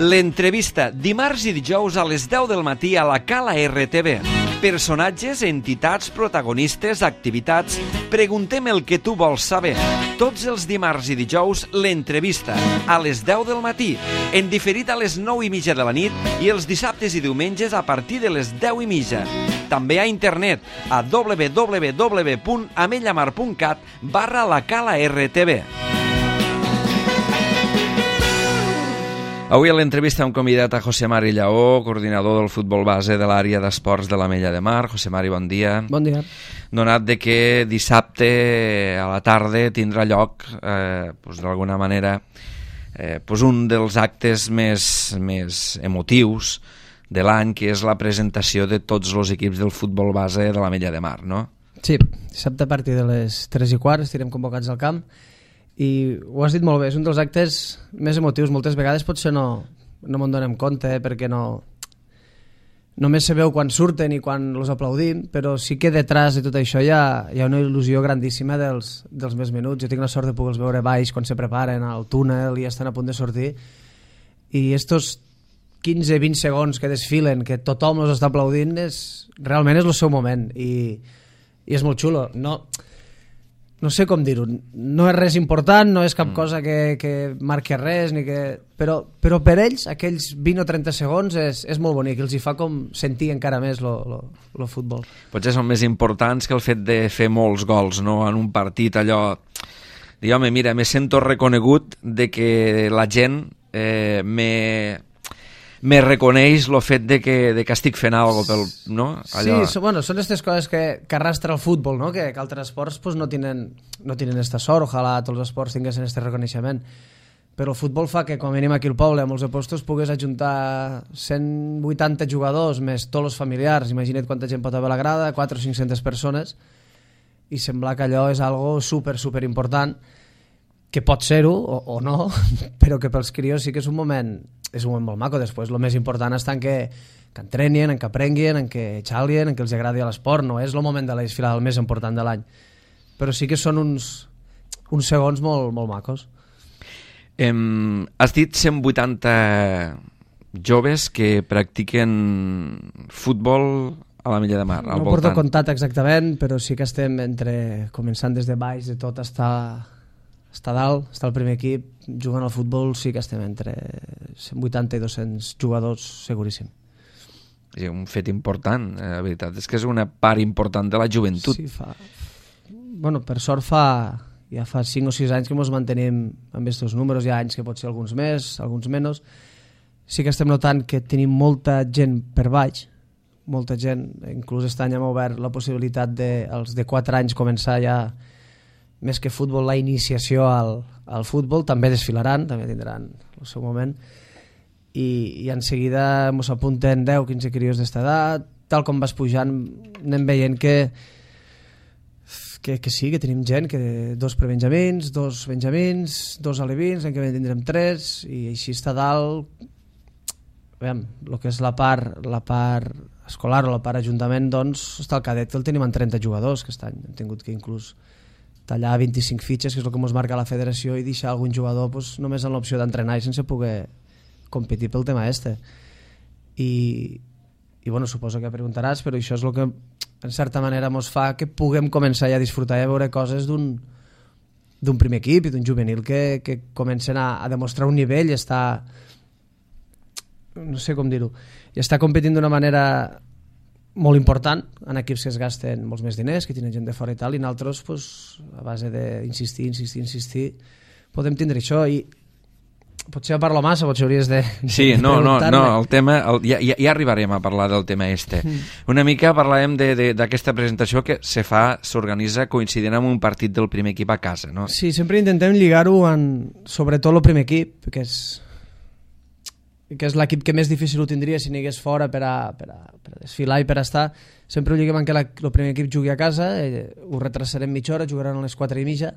L'entrevista, dimarts i dijous a les 10 del matí a la Cala RTV. Personatges, entitats, protagonistes, activitats... Preguntem el que tu vols saber. Tots els dimarts i dijous, l'entrevista, a les 10 del matí, en diferit a les 9:30 de la nit i els dissabtes i diumenges a partir de les 10:30. També a internet, a www.amellamar.cat/la Cala RTV. Avui a l'entrevista hem convidat a José Mari Lleó, coordinador del futbol base de l'àrea d'esports de l'Ametlla de Mar. José Mari, bon dia. Bon dia. Donat de que dissabte a la tarda tindrà lloc, d'alguna manera, un dels actes més emotius de l'any, que és la presentació de tots els equips del futbol base de l'Ametlla de Mar, no? Sí, dissabte a partir de les 3:15 estirem convocats al camp. I ho has dit molt bé, és un dels actes més emotius. Moltes vegades potser no me'n donem compte, perquè només se veu quan surten i quan els aplaudim, però sí que detrás de tot això hi ha una il·lusió grandíssima dels més menuts. Jo tinc la sort de poder-los veure baix quan se preparen al túnel i estan a punt de sortir, i estos 15-20 segons que desfilen, que tothom els està aplaudint, realment és el seu moment, i és molt xulo. No sé com dir-ho, no és res important, no és cap cosa que marqui res, però per ells aquells 20 o 30 segons és molt bonic, els hi fa com sentir encara més el futbol. Potser són més importants que el fet de fer molts gols, no? En un partit, allò... Home, mira, me sento reconegut de que la gent me reconeix el fet de que estic fent alguna cosa, no? Allò... Sí, són aquestes coses que arrastra el futbol, no? Que altres esports no tenen esta sort. Ojalà tots els esports tinguessin aquest reconeixement, però el futbol fa que, com a mínim aquí al poble, a molts puestos pugues ajuntar 180 jugadors més tots els familiars. Imagina't quanta gent pot haver a la grada, 400 o 500 persones, i sembla que allò és algo super important, que pot ser-ho o no, però que pels crios sí que és un moment molt maco. Després el més important està en que entrenin, en que aprenguin, en que xalien, en que els agradi l'esport. No és el moment de la desfilada el més important de l'any, però sí que són uns segons molt macos. Has dit 180 joves que practiquen futbol a l'Ametlla de Mar, al voltant. No porto comptat exactament, però sí que estem començant des de baix de tot està dalt, està el primer equip jugant al futbol. Sí que estem entre 180 i 200 jugadors, seguríssim. És un fet important, la veritat és que és una part important de la joventut. Sí, per sort ja fa 5 o 6 anys que ens mantenim amb aquests números. Hi ha anys que pot ser alguns més, alguns menys. Sí que estem notant que tenim molta gent per baix, molta gent. Inclús aquest any hem obert la possibilitat dels de 4 anys començar ja, més que futbol, la iniciació al futbol. També desfilaran, també tindran el seu moment, i en seguida ens apunten 10-15 crios d'esta edat. Tal com vas pujant anem veient que sí, que tenim gent, que 2 prebenjamins, 2 benjamins, 2 alevins, l'any que ve tindrem 3, i així està dalt. Veiem, el que és la part escolar o la part ajuntament, doncs està el cadet, que el tenim en 30 jugadors, que aquest any hem tingut que inclús tallar 25 fitxes, que és el que ens marca la federació, i deixar algun jugador només amb l'opció d'entrenar i sense poder competir pel tema este. I suposo que preguntaràs, però això és el que en certa manera ens fa que puguem començar ja a disfrutar i a veure coses d'un primer equip i d'un juvenil que comencen a demostrar un nivell i està, no sé com dir-ho, i està competint d'una manera molt important en equips que es gasten molts més diners, que tenen gent de fora i tal, i nosaltres, a base d'insistir, podem tindre això. I potser parlo massa, potser hauries de... Sí, no, el tema... Ja arribarem a parlar del tema este. Una mica parlàvem d'aquesta presentació que s'organitza coincidint amb un partit del primer equip a casa, no? Sí, sempre intentem lligar-ho sobretot el primer equip, que és l'equip que més difícil ho tindria si n'hi hagués fora per a desfilar i per a estar. Sempre ho lliguem en que el primer equip jugui a casa, ho retrasarem mitja hora, jugaran a les 4:30.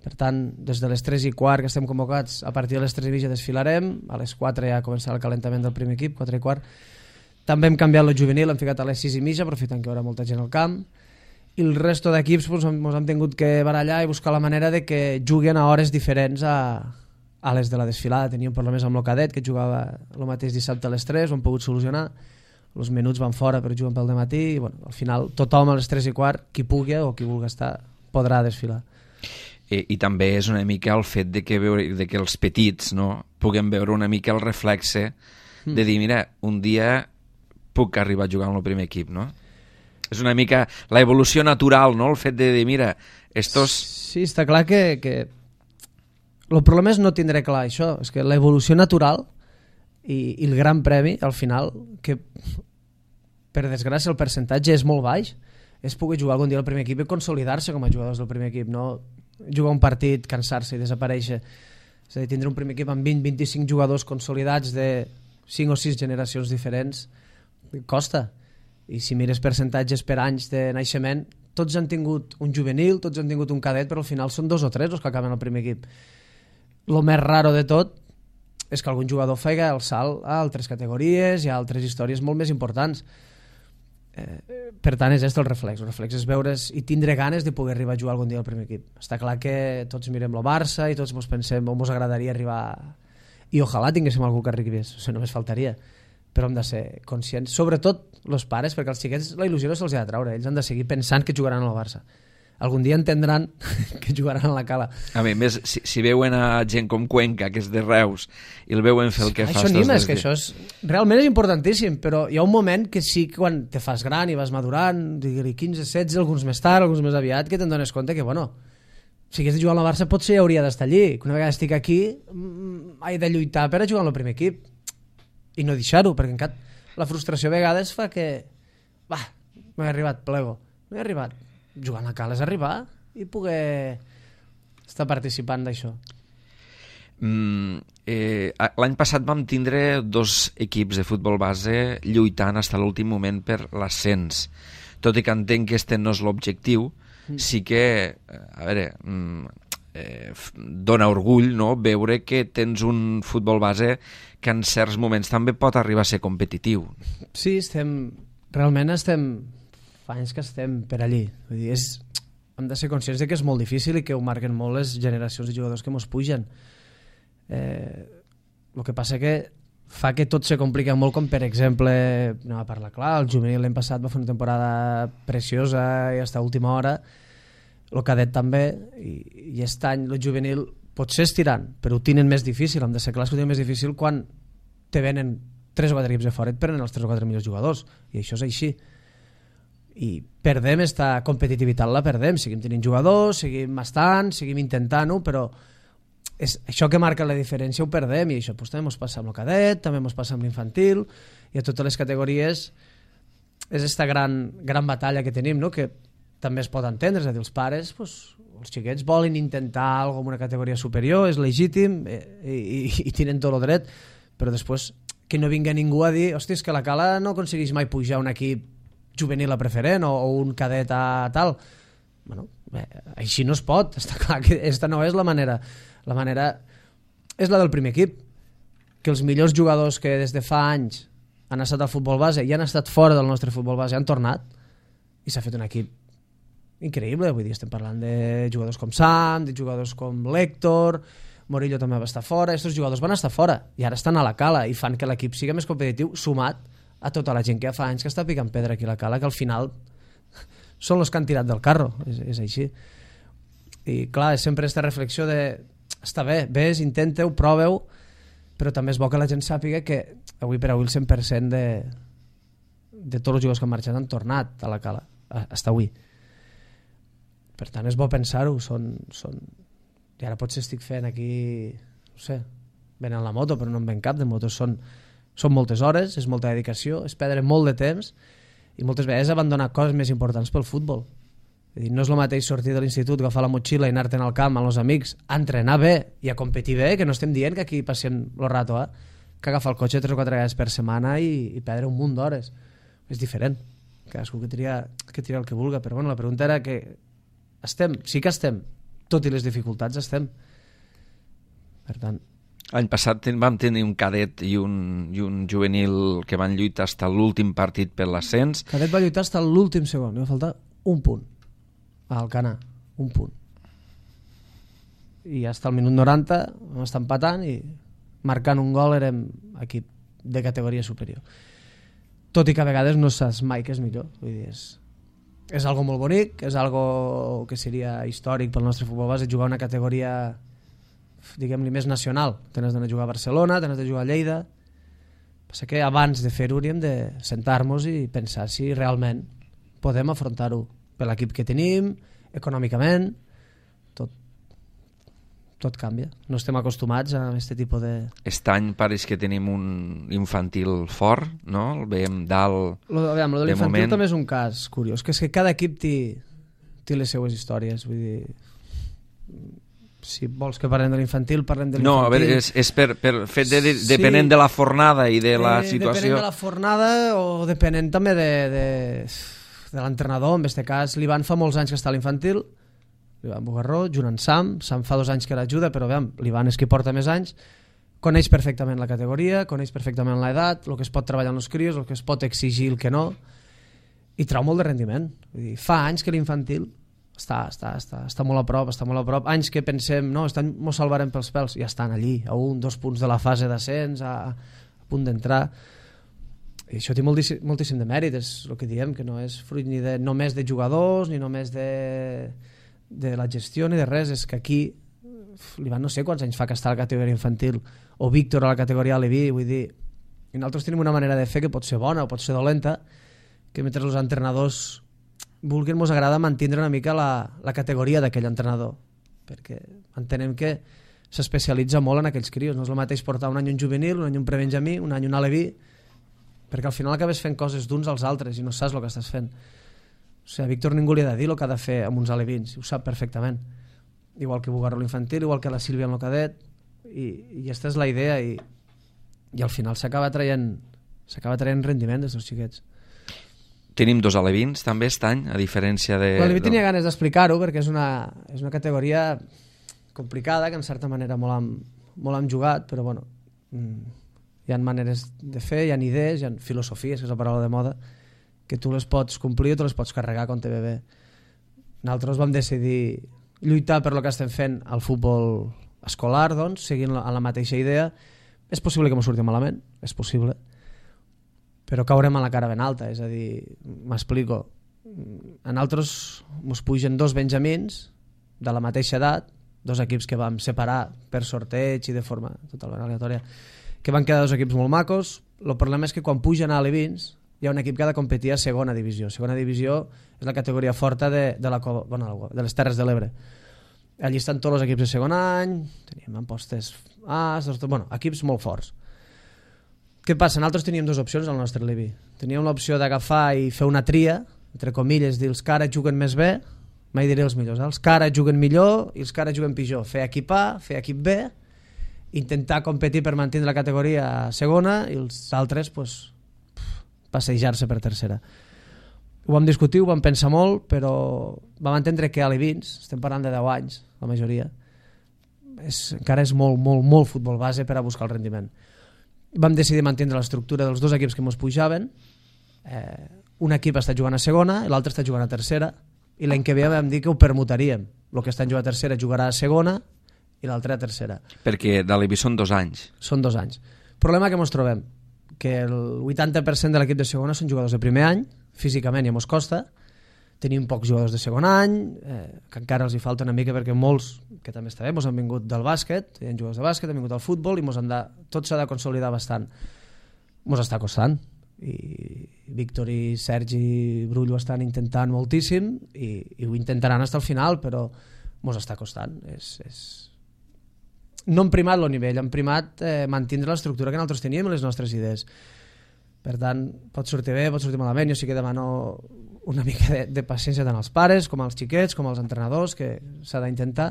Per tant, des de les 3:15 que estem convocats, a partir de les 3:30 desfilarem, a les 4 ja començarà el calentament del primer equip, 4:15. També hem canviat el juvenil, hem ficat a les 6:30, aprofitant que hi haurà molta gent al camp, i el resto d'equips ens hem tingut que barallar i buscar la manera de que juguen a hores diferents a les de la desfilada teníem problemes amb el cadet, que jugava el mateix dissabte a les 3, ho hem pogut solucionar, els minuts van fora però juguen pel dematí i bueno, al final tothom a les 3:15, qui pugui o qui vulgui estar, podrà desfilar. I també és una mica el fet de que els petits, no, puguem veure una mica el reflexe de dir, mira, un dia puc arribar a jugar en el primer equip, no? És una mica la evolució natural, no? El fet de dir, mira, estos... Sí, està clar que el problema és no tindre clar això, és que l'evolució natural i el gran premi, al final, que per desgràcia el percentatge és molt baix, és poder jugar algun dia al primer equip i consolidar-se com a jugadors del primer equip, no jugar un partit, cansar-se i desaparèixer. És a dir, tindre un primer equip amb 20-25 jugadors consolidats de 5 o 6 generacions diferents costa. I si mires percentatges per anys de naixement, tots han tingut un juvenil, tots han tingut un cadet, però al final són 2 o 3 els que acaben al primer equip. El més raro de tot és que algun jugador faci el salt a altres categories i a altres històries molt més importants. Per tant, és el reflex. El reflex és veure's i tindre ganes de poder arribar a jugar algun dia al primer equip. Està clar que tots mirem el Barça i tots ens pensem on ens agradaria arribar, i ojalà tinguéssim algú que arribés, això només faltaria, però hem de ser conscients, sobretot els pares, perquè als xiquets la il·lusió no se'ls ha de treure, ells han de seguir pensant que jugaran al Barça. Algun dia entendran que jugaran a la Cala. A més, si veuen a gent com Cuenca, que és de Reus, i el veuen fer el que fa... Això anima, és que això realment és importantíssim, però hi ha un moment que sí que quan te fas gran i vas madurant, 15, 16, alguns més tard, alguns més aviat, que te'n dones compte que, bueno, si hagués de jugar a la Barça potser hauria d'estar allí, que una vegada estic aquí he de lluitar per a jugar al primer equip i no deixar-ho, perquè encara la frustració a vegades fa que no he arribat, plego, no he arribat. Jugar a la Cala és arribar i poder estar participant d'això. L'any passat vam tindre 2 equips de futbol base lluitant fins a l'últim moment per l'ascens. Tot i que entenc que este no és l'objectiu, sí que, a veure, dona orgull, no?, veure que tens un futbol base que en certs moments també pot arribar a ser competitiu. Sí, realment fa anys que estem per allí. Vull dir, hem de ser conscients de que és molt difícil i que ho marquen molt les generacions de jugadors que mos pugen. El que passa que fa que tot se complica molt, com per exemple, anem a parlar clar, el juvenil l'any passat va fer una temporada preciosa i fins a última hora, el cadet també, i aquest any el juvenil potser estirant, però ho tenen més difícil, hem de ser clars que ho tenen més difícil quan te venen 3 o 4 equips de fora i et prenen els 3 o 4 millors jugadors, i això és així. I perdem esta competitivitat, la perdem, seguim tenint jugadors, seguim estant, seguim intentant-ho, però és això que marca la diferència ho perdem, i això també ens passa amb el cadet, també ens passa amb l'infantil i a totes les categories. És esta gran batalla que tenim, no?, que també es pot entendre, és a dir, els pares, els xiquets volen intentar alguna cosa en una categoria superior, és legítim i tenen tot el dret, però després que no vinga ningú a dir, hòstia, és que la Cala no aconsegueix mai pujar un equip juvenil a preferent o un cadet a tal. Bueno, així no es pot, està clar que aquesta no és la manera. La manera és la del primer equip, que els millors jugadors que des de fa anys han estat al futbol base i han estat fora del nostre futbol base han tornat i s'ha fet un equip increïble. Vull dir, estem parlant de jugadors com Sam, de jugadors com l'Héctor, Morillo també va estar fora, aquests jugadors van estar fora i ara estan a la Cala i fan que l'equip sigui més competitiu, sumat a tota la gent que fa anys que està picant pedra aquí a la Cala, que al final són els que han tirat del carro, és així. I clar, és sempre aquesta reflexió de està bé, vés, intenteu, proveu, però també és bo que la gent sàpiga que avui per avui el 100% de tots els jugadors que han marxat han tornat a la Cala, fins avui. Per tant, és bo pensar-ho, i ara potser estic fent aquí, no sé, venent la moto, però no en ven cap de motos, són moltes hores, és molta dedicació, és perdre molt de temps i moltes vegades abandonar coses més importants pel futbol. És dir, no és el mateix sortir de l'institut, agafar la motxilla i anar-te'n al camp amb els amics, a entrenar bé i a competir bé, que no estem dient que aquí passem el rato, que agafar el cotxe 3 o 4 vegades per setmana i perdre un munt d'hores. És diferent. Cadascú que tria el que vulga, però bueno, la pregunta era que sí que estem, tot i les dificultats estem. Per tant, l'any passat vam tenir un cadet i un juvenil que van lluitar fins a l'últim partit per l'ascens. Cadet va lluitar fins a l'últim segon, li va faltar un punt a Alcanar, un punt. i hasta el minut 90 vam estar empatant i marcant un gol érem equip de categoria superior. Tot i que a vegades no saps mai què és millor. Vull dir, és algo molt bonic, és algo que seria històric pel nostre futbol base, jugar una categoria, diguem-li, més nacional. Tens d'anar a jugar a Barcelona, tens de jugar a Lleida. Passa que abans de fer-ho hauríem de sentar-nos i pensar si realment podem afrontar-ho per l'equip que tenim, econòmicament. Tot canvia. No estem acostumats a aquest tipus de... Aquest any pareix que tenim un infantil fort, no? El veiem dalt Lo de l'infantil també és un cas curiós, que és que cada equip té les seues històries. Vull dir, si vols que parlem de l'infantil, parlem de l'infantil. No, a veure, és per fet depenent de la fornada i de la situació. Depenent de la fornada o depenent també de l'entrenador. En aquest cas, l'Ivan fa molts anys que està a l'infantil, l'Ivan Bugarró, junt amb Sam fa 2 anys que l'ajuda, però l'Ivan és qui porta més anys, coneix perfectament la categoria, coneix perfectament l'edat, el que es pot treballar en els crios, el que es pot exigir, el que no, i trau molt de rendiment. Vull dir, fa anys que l'infantil està molt a prop, anys que pensem, no, mos salvarem pels pèls, ja estan allí, a 1-2 punts de la fase d'ascens, a punt d'entrar. I això té moltíssim de mèrit, és el que diem, que no és fruit ni només de jugadors, ni només de la gestió ni de res, és que aquí l'Ivan no sé quants anys fa que està a la categoria infantil, o Víctor a la categoria Aleví, vull dir, i nosaltres tenim una manera de fer que pot ser bona o pot ser dolenta, que mentre els entrenadors vulguin, ens agrada mantenir una mica la categoria d'aquell entrenador, perquè entenem que s'especialitza molt en aquells crios, no és el mateix portar un any un juvenil, un any un prebenjamí, un any un aleví, perquè al final acabes fent coses d'uns als altres i no saps el que estàs fent. O sigui, a Víctor ningú li ha de dir el que ha de fer amb uns alevins, ho sap perfectament. Igual que Bugarró l'infantil, igual que la Sílvia en el cadet, i aquesta és la idea, i al final s'acaba traient rendiment dels seus xiquets. Tenim 2 alevins també aquest any, a diferència de... L'Aleví tenia ganes d'explicar-ho, perquè és una categoria complicada, que en certa manera molt hem jugat, però bueno, hi ha maneres de fer, hi ha idees, hi ha filosofies, que és la paraula de moda, que tu les pots complir o tu les pots carregar quan te ve bé. Nosaltres vam decidir lluitar per lo que estem fent al futbol escolar, doncs, seguint la mateixa idea. És possible que m'ho surti malament, és possible, però caurem a la cara ben alta, és a dir, m'explico. A nosaltres ens pugen 2 benjamins de la mateixa edat, 2 equips que vam separar per sorteig i de forma totalment aleatòria, que van quedar 2 equips molt macos. El problema és que quan pugen a alevins hi ha un equip que ha de competir a segona divisió. Segona divisió és la categoria forta de les Terres de l'Ebre. Allí estan tots els equips de segon any, teníem Ampostes As, equips molt forts. Què passa? Nosaltres teníem 2 opcions al nostre Levi. Teníem l'opció d'agafar i fer una tria, entre comilles, dir els que ara juguen més bé, mai diré els millors, els que ara juguen millor i els que ara juguen pitjor. Fer equip A, fer equip B, intentar competir per mantenir la categoria segona i els altres, passejar-se per tercera. Ho vam discutir, ho vam pensar molt, però vam entendre que a alevins, estem parlant de 10 anys, la majoria, encara és molt, molt, molt futbol base per a buscar el rendiment. Vam decidir mantenir l'estructura dels 2 equips que ens pujaven. Un equip està jugant a segona i l'altre està jugant a tercera, i l'any que ve vam dir que ho permutaríem. El que està jugant a tercera jugarà a segona i l'altre a tercera. Perquè d'Aleví són 2 anys. Són 2 anys. Problema que ens trobem, que el 80% de l'equip de segona són jugadors de primer any, físicament ja mos costa, tenim pocs jugadors de segon any, que encara els hi falta una mica perquè molts, que també està bé, mos han vingut del bàsquet, hi ha jugadors de bàsquet, han vingut del futbol i tot s'ha de consolidar bastant. Mos està costant, i Víctor i Sergi Brull ho estan intentant moltíssim i ho intentaran fins al final, però mos està costant. No hem primat el nivell, hem primat mantenir l'estructura que nosaltres teníem i les nostres idees. Per tant, pot sortir bé, pot sortir malament. Jo sí que demano una mica de paciència tant als pares com als xiquets, com als entrenadors, que s'ha d'intentar.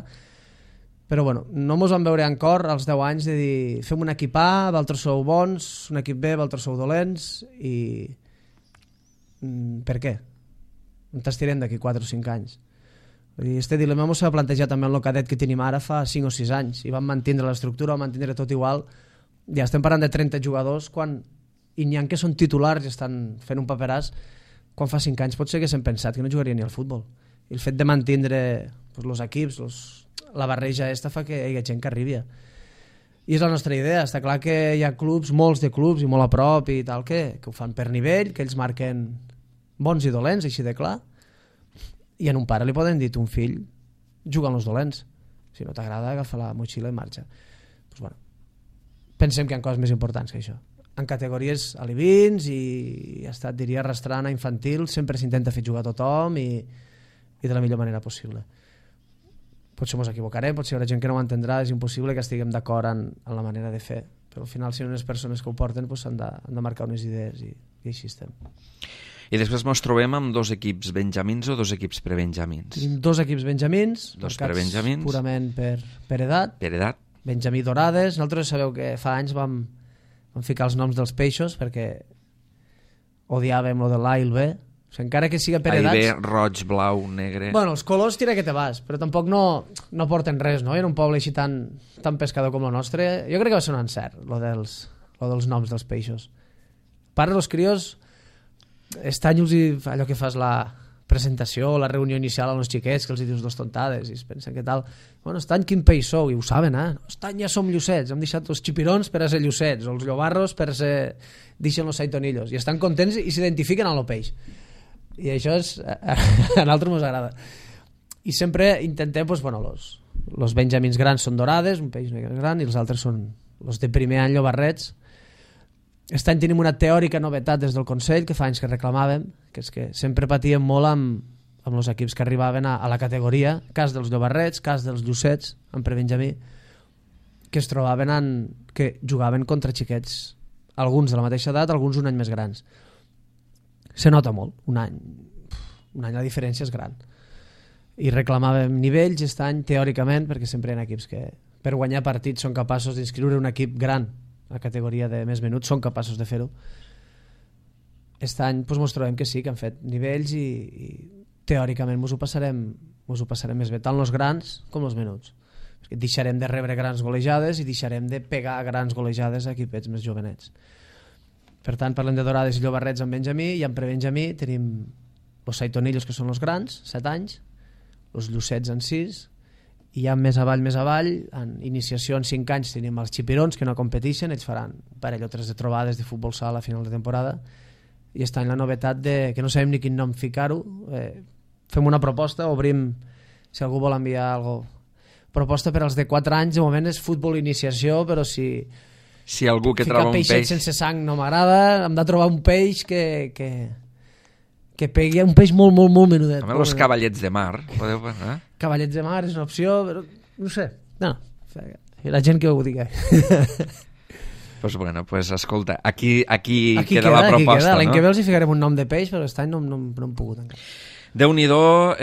Però bueno, no mos vam veure encara als 10 anys de dir fem un equip A, vosaltres sou bons, un equip B, vosaltres sou dolents, i per què? On t'estirem d'aquí 4 o 5 anys? Este dilema s'ha plantejat també en el cadet que tenim ara fa 5 o 6 anys i vam mantenir l'estructura, vam mantenir tot igual. Ja estem parlant de 30 jugadors i n'hi ha que són titulars i estan fent un paperàs, quan fa 5 anys pot ser que s'hem pensat que no jugarien ni al futbol, I el fet de mantindre els equips, la barreja fa que hi hagi gent que arribi. I és la nostra idea. Està clar que hi ha clubs, molts de clubs i molt a prop i tal, que ho fan per nivell, que ells marquen bons i dolents, així de clar, i a un pare li poden dir un fill juga amb els dolents, si no t'agrada agafa la motxilla i marxa. Pues bueno, pensem que hi ha coses més importants que això. En categories alevins i ha estat, diria, arrastrant a infantil, sempre s'intenta fer jugar a tothom i de la millor manera possible. Potser ens equivocarem, potser hi haurà gent que no ho entendrà, és impossible que estiguem d'acord en la manera de fer, però al final si unes persones que ho porten han de marcar unes idees i així estem. I després ens trobem amb 2 equips benjamins o 2 equips prebenjamins? Tenim 2 equips benjamins, 2 prebenjamins, purament per edat. Per edat. Benjamí Dorades. Nosaltres sabeu que fa anys vam ficar els noms dels peixos perquè odiàvem lo de l'A i el B. O sigui, encara que siga per edats... A i B, roig, blau, negre... Bueno, els colors tira que te vas, però tampoc no porten res, no? En un poble així tan pescador com el nostre. Jo crec que va ser un encert, lo dels noms dels peixos. A part dels crios, estany-los i allò que fas la presentació, la reunió inicial als xiquets, que els dius 2 tontades i es pensen que tal... Bueno, estany, quin peix sou? I ho saben, eh? Estany, ja som llucets, hem deixat els xipirons per a ser llucets, o els llobarros per a ser... deixen els saitonillos, i estan contents i s'identifiquen amb el peix. I això a nosaltres ens agrada. I sempre intentem, els benjamins grans són dorades, un peix més gran, i els altres són els de primer any llobarrets. Aquest any tenim una teòrica novetat des del Consell, que fa anys que reclamàvem, que és que sempre patíem molt amb els equips que arribaven a la categoria, cas dels llobarrets, cas dels llucets, en prebenjamí, que es trobaven que jugaven contra xiquets, alguns de la mateixa edat, alguns un any més grans. Se nota molt, un any la diferència és gran, i reclamàvem nivells aquest any teòricament, perquè sempre hi ha equips que per guanyar partits són capaços d'inscriure un equip gran a categoria de més menuts, són capaços de fer-ho. Aquest any ens trobem que sí, que han fet nivells i teòricament ens ho passarem més bé, tant els grans com els menuts, perquè deixarem de rebre grans golejades i deixarem de pegar grans golejades a equipets més jovenets. Per tant, parlem de dorades i llobarrets en benjamí, i en prebenjamí tenim els saitonillos, que són els grans, 7 anys, els llucets en 6, i ja més avall, en iniciació en 5 anys tenim els xipirons, que no competeixen, ells faran un parell o 3 de trobades de futbol sala a final de temporada, i està en la novetat que no sabem ni quin nom ficar-ho, fem una proposta, obrim, si algú vol enviar alguna cosa, proposta per als de 4 anys, de moment és futbol iniciació, però si algú que troba un peix sense sang no m'agrada, hem de trobar un peix que pegui, un peix molt, molt, molt menudet. També els cavallets de mar, podeu pensar? Cavallets de mar és una opció, però no sé, la gent que ho digui. Pues escolta, aquí queda la proposta. L'any que ve els hi ficarem un nom de peix, però aquest any no hem pogut encara. Déu-n'hi-do,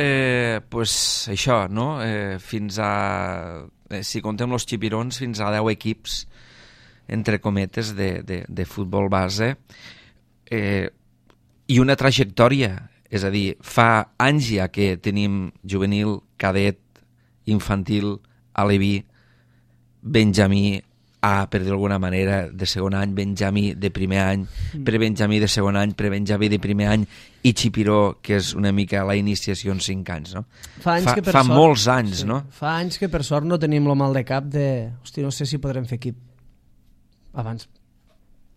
això, no? Fins a, si contem els xipirons, fins a 10 equips, entre cometes, de futbol base, i una trajectòria, és a dir, fa anys ja que tenim juvenil, cadet, infantil, aleví, benjamí, per dir d'alguna manera, de segon any, benjamí de primer any, prebenjamí de segon any, prebenjamí de primer any, i xipiró, que és una mica la iniciació en 5 anys, no? Fa molts anys, no? Fa anys que per sort no tenim el mal de cap hosti, no sé si podrem fer equip. Abans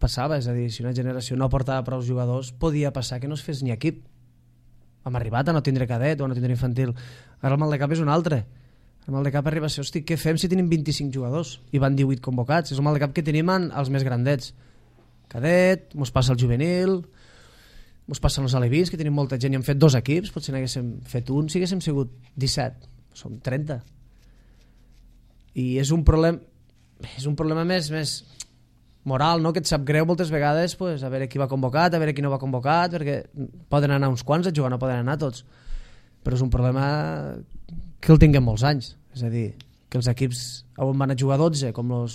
passava, és a dir, si una generació no portava prou jugadors, podia passar que no es fes ni equip. Hem arribat a no tindre cadet o a no tindre infantil. Ara el mal de cap és un altre. El mal de cap arriba a ser, hosti, què fem si tenim 25 jugadors i van 18 convocats? És el mal de cap que tenim els més grandets. Cadet, mos passa el juvenil, mos passen els alevins, que tenim molta gent i hem fet 2 equips, potser n'haguéssim fet un si haguéssim sigut 17. Som 30. I és un problema més moral, no? Que et sap greu moltes vegades, a veure qui va convocat, a veure qui no va convocat, perquè poden anar uns quants a jugar, no poden anar tots, però és un problema que el tinguem molts anys, és a dir, que els equips on van a jugar 12, com els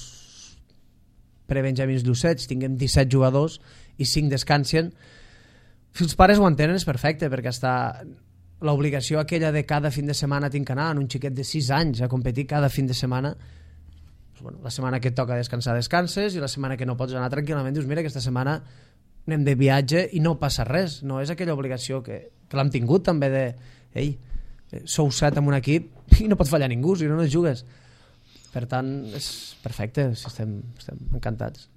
prebenjamins llucets, tinguem 17 jugadors i 5 descansen. Si els pares ho entenen és perfecte, perquè està l'obligació aquella de cada fin de setmana tinc que anar en un xiquet de 6 anys a competir cada fin de setmana. La setmana que et toca descansar descanses, i la setmana que no pots anar tranquil·lament dius mira, aquesta setmana anem de viatge i no passa res. No és aquella obligació que l'hem tingut també de sou 7 en un equip i no pot fallar ningú, si no jugues. Per tant, és perfecte, estem encantats.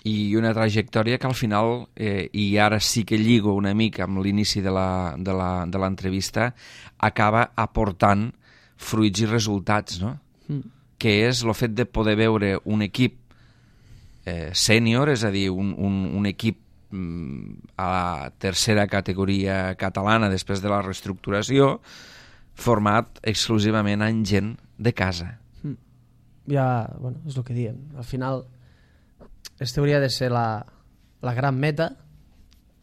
I una trajectòria que al final, i ara sí que lligo una mica amb l'inici de l'entrevista, acaba aportant fruits i resultats, no? Que és el fet de poder veure un equip sènior, és a dir, un equip a la tercera categoria catalana després de la reestructuració, format exclusivament en gent de casa. Ja, bueno, és el que diem. Al final, aquesta hauria de ser la gran meta,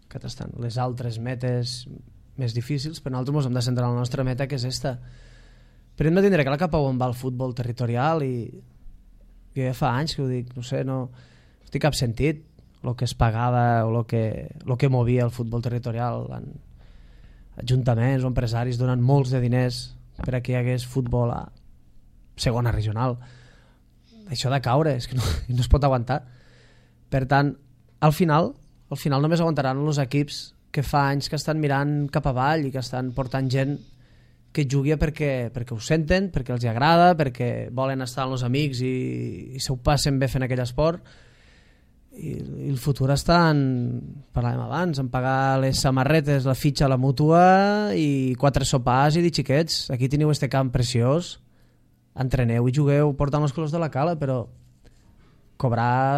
que estan les altres metes més difícils, però nosaltres ens hem de centrar en la nostra meta, que és esta. Però hem de tindre clar cap a on va el futbol territorial i ja fa anys que ho dic, no sé, no té cap sentit el que es pagava o el que movia el futbol territorial en ajuntaments o empresaris donant molts de diners per a que hi hagués futbol a segona regional. Això de caure és que no es pot aguantar. Per tant, al final només aguantaran els equips que fa anys que estan mirant cap avall i que estan portant gent que jugui perquè ho senten, perquè els agrada, perquè volen estar amb els amics i s'ho passen bé fent aquell esport. I el futur està parlàvem abans, en pagar les samarretes, la fitxa a la mútua i 4 sopars i dir xiquets, aquí teniu este camp preciós, entreneu i jugueu portant els colors de la Cala, però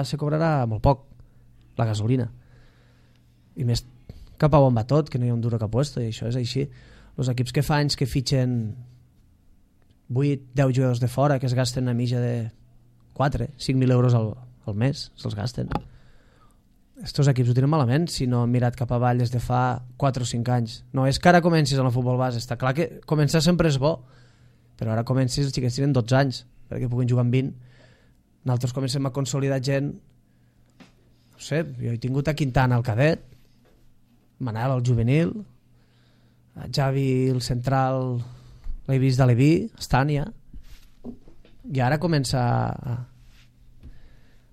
se cobrarà molt poc la gasolina i més cap a on va tot, que no hi ha un duro que puesto, i això és així. Els equips que fa anys que fitxen 8-10 jugadors de fora que es gasten una mitja de 4-5.000 euros al mes, se'ls gasten. Estos equips ho tenen malament si no han mirat cap avall des de fa 4 o 5 anys. No és que ara comencis en el futbol base, està clar que començar sempre és bo, però ara comencis, els xiquets tenen 12 anys perquè puguin jugar amb 20. Nosaltres comencem a consolidar gent, no sé, jo he tingut a Quintana al cadet, Manel al juvenil, a Javi el central l'he vist de Leví, Estània, i ara comença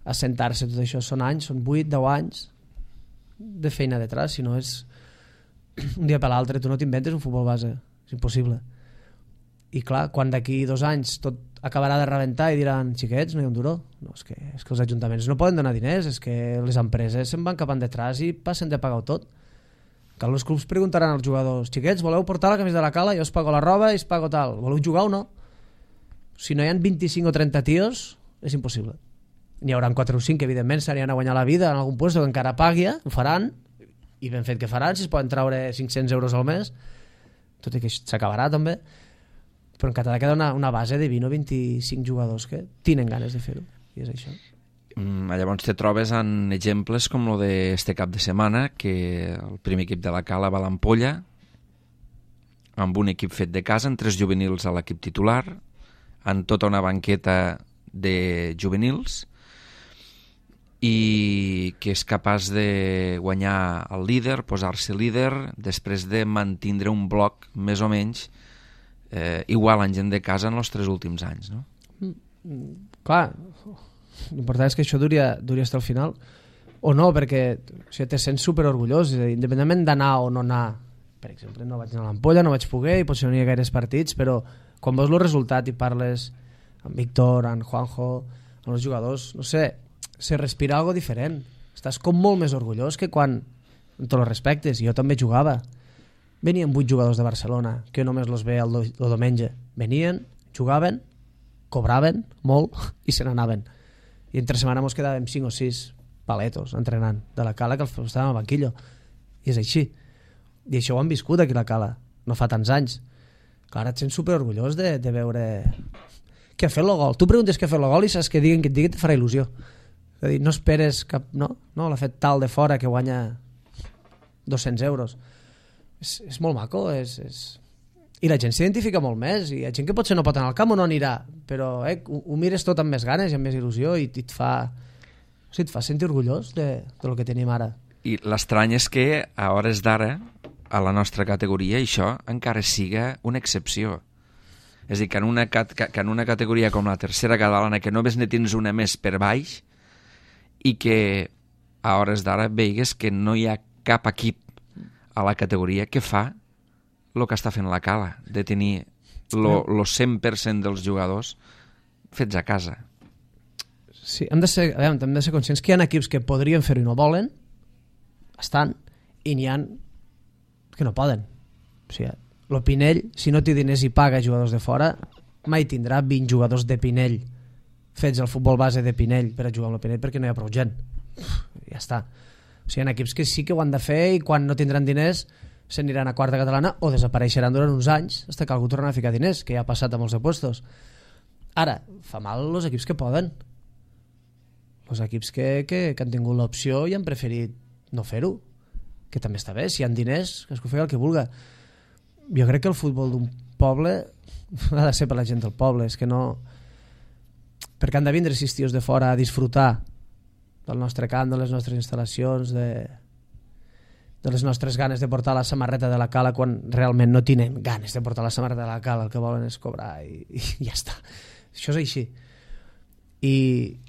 a sentar-se tot això. Són anys, són 8-10 anys de feina detrás, si no és un dia per l'altre, tu no t'inventes un futbol base, és impossible. I clar, quan d'aquí 2 anys tot acabarà de rebentar i diran xiquets, no hi ha un duro, no, és que els ajuntaments no poden donar diners, és que les empreses se'n van cap endetrás i passen de pagar-ho tot. Que els clubs preguntaran als jugadors, xiquets, voleu portar la camisa de la Cala? Jo us pago la roba i us pago tal, voleu jugar o no? Si no hi ha 25 o 30 tios és impossible. N'hi haurà 4 o 5 que evidentment s'aniran a guanyar la vida en algun lloc que encara pagui, ho faran, i ben fet que faran, si es poden treure 500 euros al mes, tot i que s'acabarà també, però encara ha de quedar una base de 20 o 25 jugadors que tenen ganes de fer-ho, i és això. Llavors te trobes en exemples com el d'este cap de setmana, que el primer equip de la Cala va a l'Ampolla amb un equip fet de casa, amb 3 juvenils a l'equip titular, amb tota una banqueta de juvenils, i que és capaç de guanyar el líder, posar-se líder, després de mantindre un bloc més o menys igual en gent de casa en els 3 últims anys, no? Clar, l'important és que això duria fins al final o no, perquè te sents superorgullós, independentment d'anar o no anar. Per exemple, no vaig anar a l'Ampolla, no vaig poder i potser no hi ha gaires partits, però quan veus el resultat i parles amb Víctor, amb Juanjo, amb els jugadors, no sé, se respira algo diferent, estàs com molt més orgullós que quan, amb tots els respectes, jo també jugava. Venien 8 jugadors de Barcelona, que només els veia el diumenge. Venien, jugaven, cobraven molt i se n'anaven. I entre setmana ens quedàvem 5 o 6 paletos entrenant de la Cala, que estàvem al banquillo. I és així. I això ho han viscut aquí a la Cala, no fa tants anys. Clar, et sents superorgullós de veure que ha fet el gol. Tu preguntes què ha fet el gol i saps que diguen que et digui, et farà il·lusió. És a dir, no esperes cap... No, l'ha fet tal de fora que guanya 200 euros. És molt maco, i la gent s'identifica molt més, i hi ha gent que potser no pot anar al camp o no anirà, però ho mires tot amb més ganes i amb més il·lusió i et fa sentir orgullós del que tenim ara. I l'estrany és que a hores d'ara a la nostra categoria això encara siga una excepció. És a dir, que en una categoria com la tercera catalana, que només ne tens una més per baix, i que a hores d'ara veigues que no hi ha cap equip a la categoria que fa el que està fent la Cala, de tenir el 100% dels jugadors fets a casa. Sí, hem de ser conscients que hi ha equips que podrien fer-ho i no volen, i n'hi ha que no poden. O sigui, el Pinell, si no té diners i paga jugadors de fora, mai tindrà 20 jugadors de Pinell fets al futbol base de Pinell per a jugar amb el Pinell, perquè no hi ha prou gent. Ja està. O sigui, hi ha equips que sí que ho han de fer i quan no tindran diners se n'aniran a quarta catalana o desapareixeran durant uns anys fins que algú torna a ficar diners, que ja ha passat a molts de puestos. Ara, fa mal els equips que poden. Els equips que han tingut l'opció i han preferit no fer-ho, que també està bé, si hi ha diners que es faci el que vulga. Jo crec que el futbol d'un poble ha de ser per la gent del poble, és que no, perquè han de vindre 6 tios de fora a disfrutar del nostre camp, de les nostres instal·lacions, de les nostres ganes de portar la samarreta de la Cala quan realment no tenen ganes de portar la samarreta de la Cala, el que volen és cobrar i ja està. Això és així. I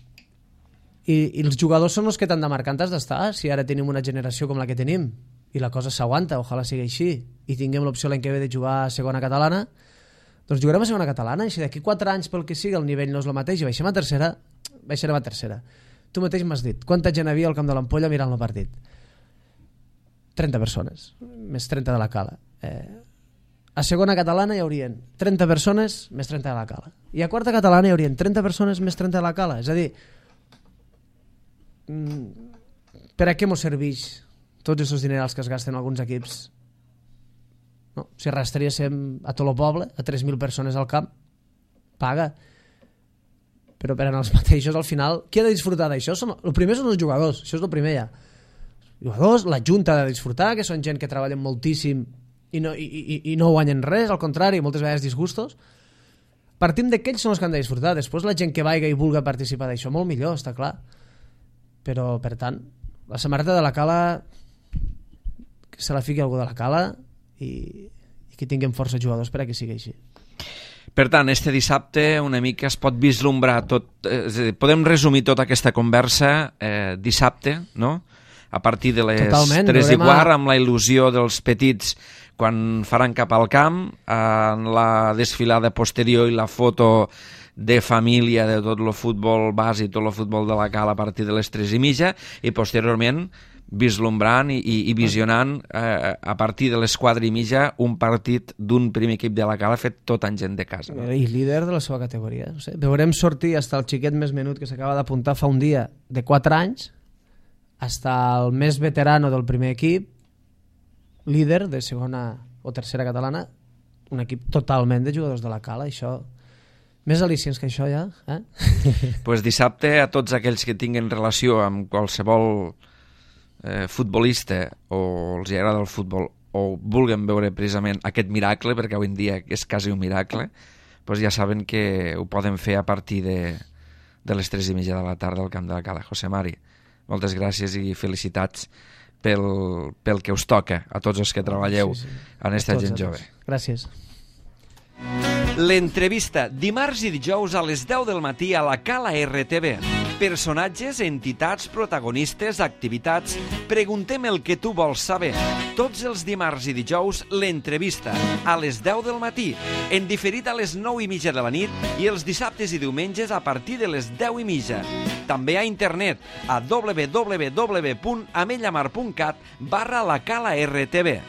els jugadors són els que t'han de marcar on has d'estar. Si ara tenim una generació com la que tenim i la cosa s'aguanta, ojalà sigui així, i tinguem l'opció l'any que ve de jugar a segona catalana, doncs jugarem a segona catalana, i si d'aquí 4 anys pel que sigui el nivell no és el mateix i baixem a tercera, baixarem a tercera. Tu mateix m'has dit, quanta gent havia al camp de l'Ampolla mirant el partit? 30 persones, més 30 de la Cala. A segona catalana hi haurien 30 persones més 30 de la Cala. I a quarta catalana hi haurien 30 persones més 30 de la Cala. És a dir, per a què mos serveix tots aquests dinerals que es gasten alguns equips? No? Si arrastraríem a tot el poble, a 3.000 persones al camp, paga. Però per als mateixos, al final, qui ha de disfrutar d'això? El primer són els jugadors, això és el primer ja. Jugadors, la junta ha de disfrutar, que són gent que treballen moltíssim i no guanyen res, al contrari, moltes vegades disgustos. Partim d'aquells són els que han de disfrutar. Després la gent que vaiga i vulga participar d'això, molt millor, està clar. Però, per tant, la samarreta de la Cala, que se la fiqui algú de la Cala i que tinguem força jugadors per a que sigui així. Per tant, este dissabte una mica es pot vislumbrar tot, podem resumir tota aquesta conversa dissabte, no? A partir de les 3:15, amb la il·lusió dels petits quan faran cap al camp, en la desfilada posterior i la foto de família de tot el futbol base i tot el futbol de la Cala a partir de les 3:30, i posteriorment vislumbrant i visionant a partir de les 4:30 un partit d'un primer equip de la Cala fet tot en gent de casa. No? I líder de la seva categoria. No sé. Veurem sortir fins el xiquet més menut que s'acaba d'apuntar fa un dia de 4 anys, fins el més veterano del primer equip, líder de segona o tercera catalana, un equip totalment de jugadors de la Cala. Això, més al·licients que això ja. Pues dissabte a tots aquells que tinguin relació amb qualsevol futbolista o els agrada el futbol o vulguem veure precisament aquest miracle, perquè avui en dia és quasi un miracle, pues ja saben que ho poden fer a partir de les 3:30 de la tarda al camp de la Cala. José Mari, moltes gràcies i felicitats pel que us toca a tots els que treballeu en esta gent jove. Gràcies. L'entrevista dimarts i dijous a les 10 del matí a la Cala RTV. Personatges, entitats, protagonistes, activitats. Preguntem el que tu vols saber. Tots els dimarts i dijous, l'entrevista a les 10 del matí, en diferit a les 9:30 de la nit i els dissabtes i diumenges a partir de les 10:30. També a internet a www.amellamar.cat/la Cala RTV.